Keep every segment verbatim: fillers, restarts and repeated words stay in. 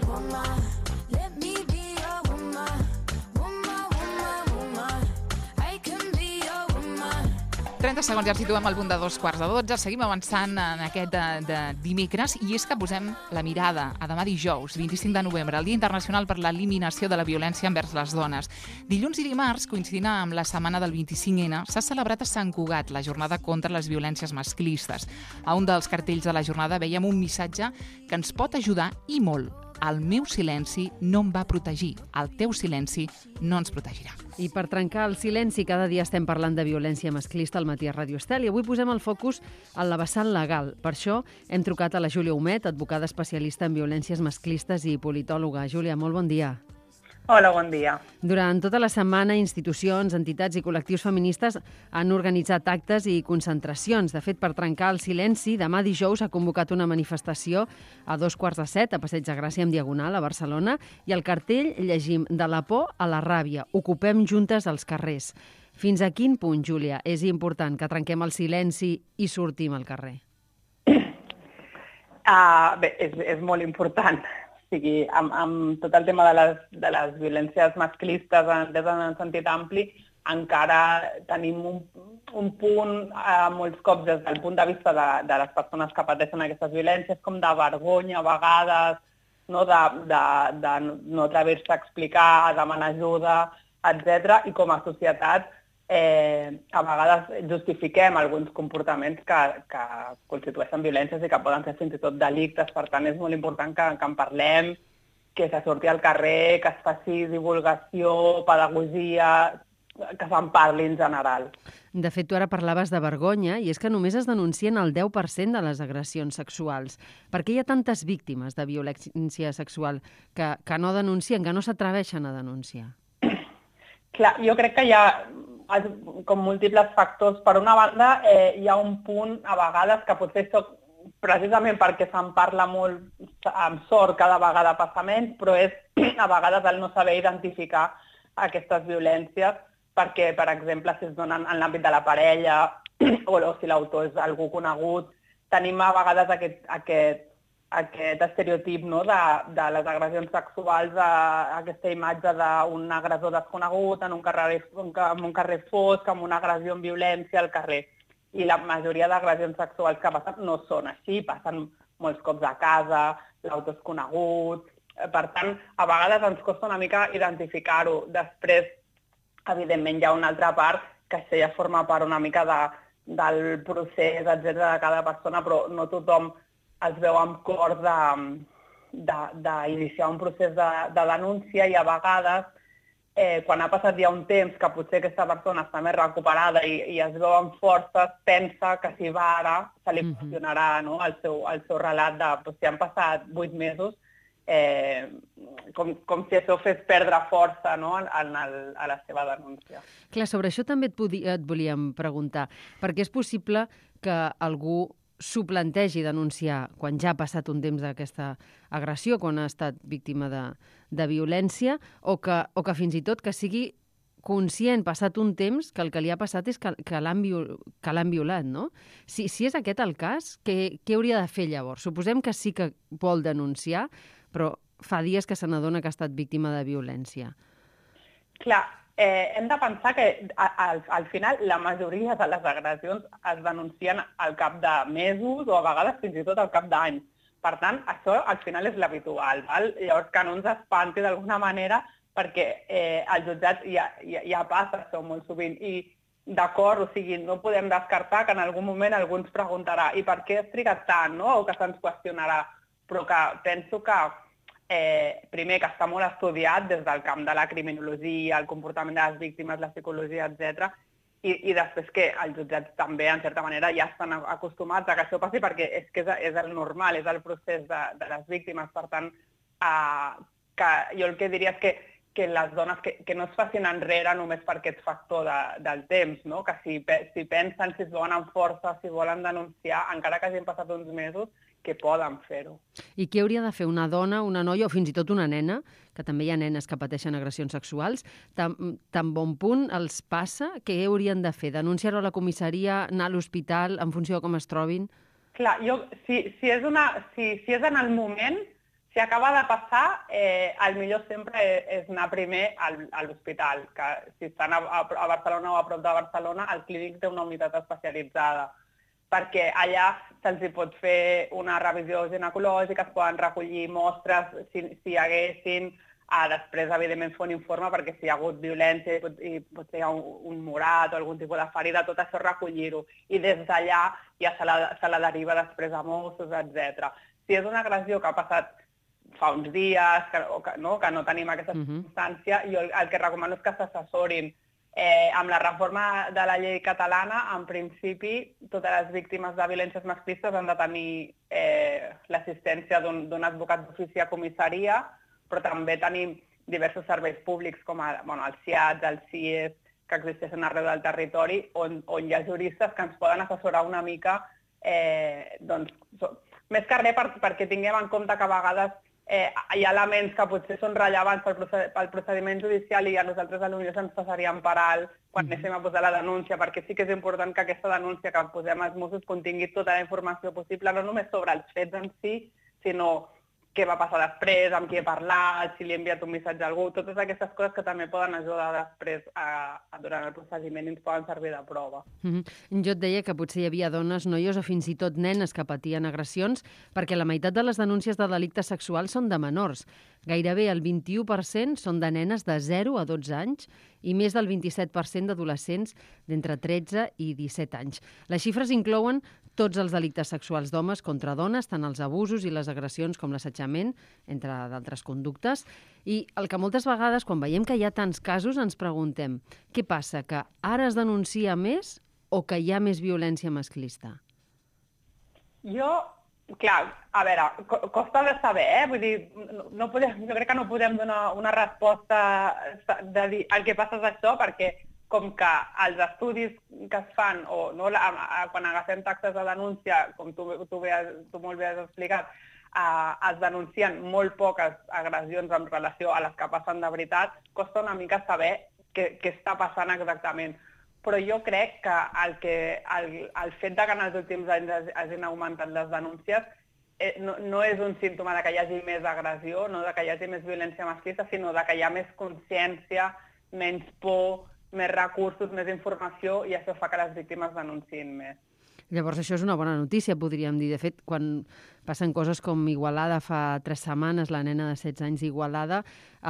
woman. Let me be your woman. Woman, woman, woman. I can be your woman. trenta segons, ja ens situem al punt de dos quarts de dotze. Seguim avançant en aquest de, de dimecres i és que posem la mirada a demà dijous, vint-i-cinc de novembre, el Dia Internacional per l'Eliminació de la Violència envers les Dones. Dilluns i dimarts, coincidint amb la setmana del vint-i-cinc ena, s'ha celebrat a Sant Cugat la jornada contra les violències masclistes. A un dels cartells de la jornada veiem un missatge que ens pot ajudar i molt. El meu silenci no em va protegir. El teu silenci no ens protegirà. I per trencar el silenci, cada dia estem parlant de violència masclista al matí a Ràdio Estel i avui posem el focus en la vessant legal. Per això hem trucat a la Júlia Humet, advocada especialista en violències masclistes i politòloga. Júlia, molt bon dia. Hola, bon dia. Durant tota la setmana, institucions, entitats i col·lectius feministes han organitzat actes i concentracions. De fet, per trencar el silenci, demà dijous ha convocat una manifestació a dos quarts de set a Passeig de Gràcia amb Diagonal, a Barcelona, i al cartell llegim de la por a la ràbia. Ocupem juntes els carrers. Fins a quin punt, Júlia, és important que trenquem el silenci i sortim al carrer? Uh, bé, és, és molt important. O sigui, amb, amb tot el tema de les, de les violències masclistes des d'un sentit ampli, encara tenim un, un punt, eh, molts cops des del punt de vista de, de les persones que pateixen aquestes violències, com de vergonya a vegades, no, de, de, de no atrever-se a explicar, a demanar ajuda, etcètera. I com a societat eh, a vegades justifiquem alguns comportaments que, que constitueixen violències i que poden ser fins i tot delictes. Per tant, és molt important que, que en parlem, que se surti al carrer, que es faci divulgació, pedagogia, que se'n parli en general. De fet, tu ara parlaves de vergonya i és que només es denuncien el deu per cent de les agressions sexuals. Per què hi ha tantes víctimes de violència sexual que, que no denuncien, que no s'atreveixen a denunciar? Clar, jo crec que hi ha com múltiples factors. Per una banda, eh, hi ha un punt a vegades que potser això, precisament perquè se'n parla molt amb sort, cada vegada passa menys, però és a vegades el no saber identificar aquestes violències, perquè, per exemple, si es donen en l'àmbit de la parella o, o si l'autor és algú conegut, tenim a vegades aquest, aquest, aquest estereotip, no, de, de les agressions sexuals, de, aquesta imatge d'un agressor desconegut en un carrer, en un carrer fosc, amb una agressió en violència al carrer. I la majoria d'agressions sexuals que passen no són així, passen molts cops a casa, l'autor és conegut. Per tant, a vegades ens costa una mica identificar-ho. Després, evidentment, hi ha una altra part que això ja forma part una mica de, del procés, etcètera, de cada persona, però no tothom es veu amb cor d'iniciar un procés de, de denúncia i a vegades, eh, quan ha passat ja un temps que potser aquesta persona està més recuperada i, i es veu amb forces, pensa que si va ara se li qüestionarà, no, el, seu, el seu relat de doncs, si han passat vuit mesos, eh, com, com si això fes perdre força, no, en, en el, a la seva denúncia. Clar, sobre això també et, podia, et volíem preguntar, perquè és possible que algú s'ho plantegi denunciar quan ja ha passat un temps d'aquesta agressió, quan ha estat víctima de, de violència, o que, o que fins i tot que sigui conscient, passat un temps, que el que li ha passat és que, que l'han viol, que l'han violat, no? Si, si és aquest el cas, què, què hauria de fer llavors? Suposem que sí que vol denunciar, però fa dies que se n'adona que ha estat víctima de violència. Clar, Eh, hem de pensar que al, al final la majoria de les agressions es denuncien al cap de mesos o a vegades fins i tot al cap d'anys. Per tant, això al final és l'habitual. Llavors, que no ens espanti d'alguna manera perquè eh, al jutjat ja, ja, ja passa això molt sovint. I d'acord, o sigui, no podem descartar que en algun moment algú ens preguntarà i per què has trigat tant, no? O que se'ns qüestionarà. Però que penso que Eh, primer, que està molt estudiat des del camp de la criminologia, el comportament de les víctimes, la psicologia, etcètera. I, i després que els jutjats també, en certa manera, ja estan acostumats a que això passi perquè és que és, és el normal, és el procés de, de les víctimes. Per tant, eh, que jo el que diria és que, que les dones que, que no es facin enrere només per aquest factor de, del temps, no? Que si, si pensen, si es veuen amb força, si volen denunciar, encara que hagin passat uns mesos, que poden fer-ho. I què hauria de fer una dona, una noia o fins i tot una nena, que també hi ha nenes que pateixen agressions sexuals, tan, tan bon punt els passa, què haurien de fer? Denunciar-ho a la comissaria, anar a l'hospital, en funció de com es trobin? Clar, jo, si, si, és una, si, si és en el moment, si acaba de passar, eh, el millor sempre és anar primer al, a l'hospital, que si estan a, a Barcelona o a prop de Barcelona, el clínic té una unitat especialitzada, perquè allà se'ls pot fer una revisió ginecològica, es poden recollir mostres si, si hi haguessin, a després, evidentment, fer un informe perquè si hi ha hagut violència i pot, i potser hi ha un, un morat o algun tipus de ferida, tot això recollir-ho. I des d'allà ja se la, se la deriva després a Mossos, etcètera. Si és una agressió que ha passat fa uns dies, que, o que, no, que no tenim aquesta Mhm. circumstància, jo el, el que recomano és que s'assessorin. Eh, amb la reforma de la llei catalana, en principi, totes les víctimes de violències masclistes han de tenir eh, l'assistència d'un d'un advocat d'ofici a comissaria, però també tenim diversos serveis públics com el, bueno, el C I A D, el C I E S, que existeixen arreu del territori, on, on hi ha juristes que ens poden assessorar una mica, eh, doncs, so, més que res per, perquè tinguem en compte que a vegades eh, hi ha elements que potser són rellevants pel, proced pel procediment judicial i a nosaltres potser ens passaríem per alt quan mm-hmm. anéssim a posar la denúncia, perquè sí que és important que aquesta denúncia que posem als Mossos contingui tota la informació possible, no només sobre els fets en si, sinó què va passar després, amb qui he parlat, si li he enviat un missatge a algú, totes aquestes coses que també poden ajudar després a, a durant el procediment i ens poden servir de prova. Mm-hmm. Jo et deia que potser hi havia dones, noies o fins i tot nenes que patien agressions perquè la meitat de les denúncies de delictes sexuals són de menors. Gairebé el vint-i-u per cent són de nenes de zero a dotze anys i més del vint-i-set per cent d'adolescents d'entre tretze i disset anys. Les xifres inclouen tots els delictes sexuals d'homes contra dones, tant els abusos i les agressions com l'assetjament, entre d'altres conductes. I el que moltes vegades, quan veiem que hi ha tants casos, ens preguntem què passa, que ara es denuncia més o que hi ha més violència masclista? Jo, clar, a veure, costa de saber, eh? Vull dir, no, no podem, jo crec que no podem donar una resposta de dir el que passa és això, perquè com que els estudis que es fan, o no, a, a, quan agafem taxes de denúncia, com tu, tu, has, tu molt bé has explicat, eh, es denuncien molt poques agressions en relació a les que passen de veritat, costa una mica saber què, què està passant exactament. Però jo crec que el, que, el, el fet de que en els últims anys hagin augmentat les denúncies eh, no, no és un símptoma de que hi hagi més agressió, no de que hi hagi més violència masclista, sinó de que hi ha més consciència, menys por, més recursos, més informació, i això fa que les víctimes denunciïn més. Llavors això és una bona notícia, podríem dir. De fet, quan passen coses com Igualada fa tres setmanes, la nena de setze anys d'Igualada,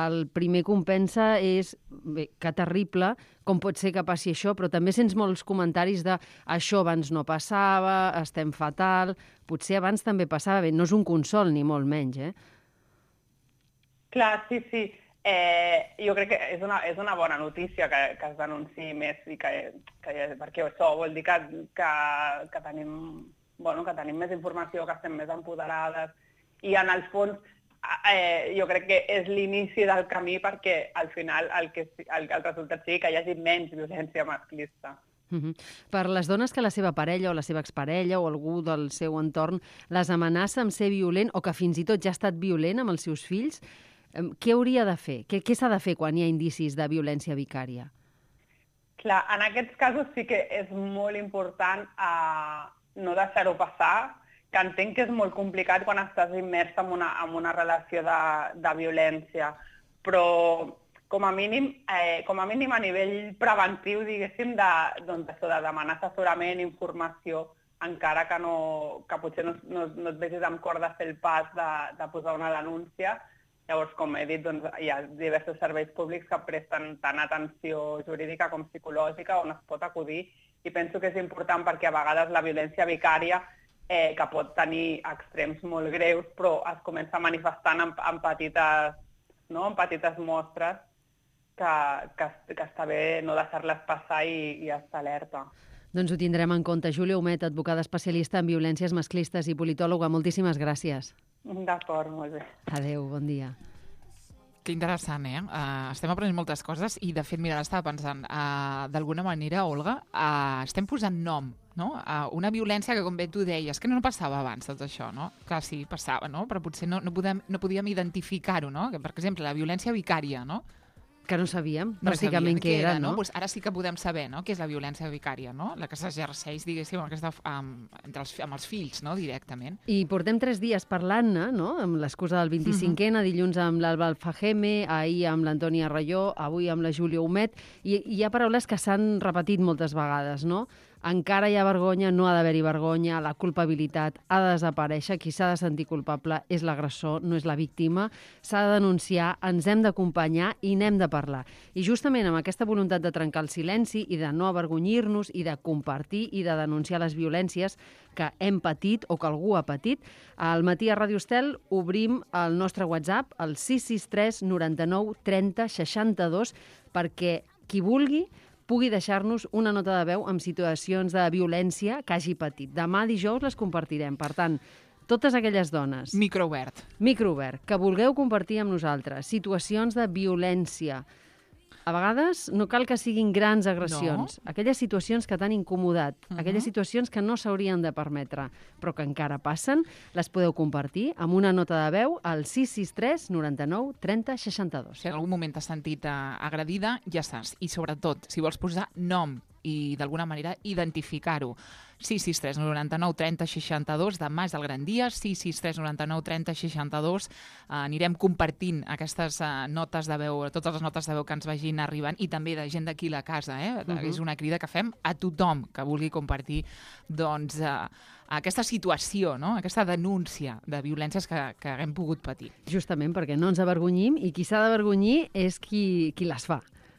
el primer que pensa és, bé, que terrible, com pot ser que passi això, però també sents molts comentaris de això abans no passava, estem fatal, potser abans també passava. Bé, no és un consol, ni molt menys, eh? Clar, sí, sí. Eh, jo crec que és una, és una bona notícia que, que es denunciï més, i que, que, perquè això vol dir que, que, que, tenim, bueno, que tenim més informació, que estem més empoderades, i en el fons eh, jo crec que és l'inici del camí perquè al final el, que, el, el resultat sigui que hi hagi menys violència masclista. Uh-huh. Per les dones que la seva parella o la seva exparella o algú del seu entorn les amenaça amb ser violent o que fins i tot ja ha estat violent amb els seus fills, què hauria de fer? Què, què s'ha de fer quan hi ha indicis de violència vicària? Clar, en aquests casos sí que és molt important eh, no deixar-ho passar, que entenc que és molt complicat quan estàs immers en una, en una relació de, de violència, però com a mínim, eh, com a mínim a nivell preventiu, diguéssim, de, doncs, de demanar assessorament, informació, encara que, no, que potser no, no, no et vegis amb cor de fer el pas de, de posar una denúncia. Llavors, com he dit, doncs, hi ha diversos serveis públics que presten tant atenció jurídica com psicològica on es pot acudir, i penso que és important perquè a vegades la violència vicària, eh, que pot tenir extrems molt greus, però es comença a manifestar en, en, petites, no? en petites mostres que, que, que està bé no deixar-les passar i, i estar alerta. Doncs ho tindrem en compte. Júlia Humet, advocada especialista en violències masclistes i politòloga, moltíssimes gràcies. D'acord, molt bé. Adéu, bon dia. Que interessant, eh? Uh, estem aprenent moltes coses i, de fet, mira, ara estava pensant, uh, d'alguna manera, Olga, uh, estem posant nom, no? Uh, una violència que, com bé tu deies, que no passava abans tot això, no? Clar, sí, passava, no? Però potser no, no, podem, no podíem identificar-ho, no? Que, per exemple, la violència vicària, no? Que no sabíem, No pràcticament, sabíem què era, no? Pues ara sí que podem saber, no?, què és la violència vicària, no?, la que s'exerceix, diguéssim, aquesta, amb, entre els, amb els fills, no?, directament. I portem tres dies parlant-ne, no?, amb l'excusa del vint-i-cinquè, uh-huh. dilluns amb l'Alba Alfajeme, ahir amb l'Antònia Rayó, avui amb la Júlia Humet, i hi ha paraules que s'han repetit moltes vegades, no? Encara hi ha vergonya, no ha d'haver-hi vergonya, la culpabilitat ha de desaparèixer, qui s'ha de sentir culpable és l'agressor, no és la víctima, s'ha de denunciar, ens hem d'acompanyar i n'hem de parlar. I justament amb aquesta voluntat de trencar el silenci i de no avergonyir-nos i de compartir i de denunciar les violències que hem patit o que algú ha patit, al matí a Ràdio Estel obrim el nostre WhatsApp, el sis sis tres noranta-nou trenta seixanta-dos, perquè qui vulgui pugui deixar-nos una nota de veu amb situacions de violència que hagi patit. Demà dijous les compartirem. Per tant, totes aquelles dones... Microobert. Microobert, que vulgueu compartir amb nosaltres situacions de violència. A vegades no cal que siguin grans agressions. No. Aquelles situacions que t'han incomodat, uh-huh. aquelles situacions que no s'haurien de permetre, però que encara passen, les podeu compartir amb una nota de veu al sis sis tres noranta-nou trenta seixanta-dos. Si en algun moment t'has sentit uh, agredida, ja saps. I sobretot, si vols posar nom i d'alguna manera identificar-ho. sis sis tres noranta-nou trenta seixanta-dos, demà és el gran dia, sis sis tres noranta-nou trenta seixanta-dos. Uh, anirem compartint aquestes uh, notes de veu, totes les notes de veu que ens vagin arribant, i també de gent d'aquí a la casa. Eh? Uh-huh. És una crida que fem a tothom que vulgui compartir doncs, uh, aquesta situació, no? Aquesta denúncia de violències que, que hem pogut patir. Justament perquè no ens avergonyim, i qui s'ha d'avergonyir és qui, qui les fa.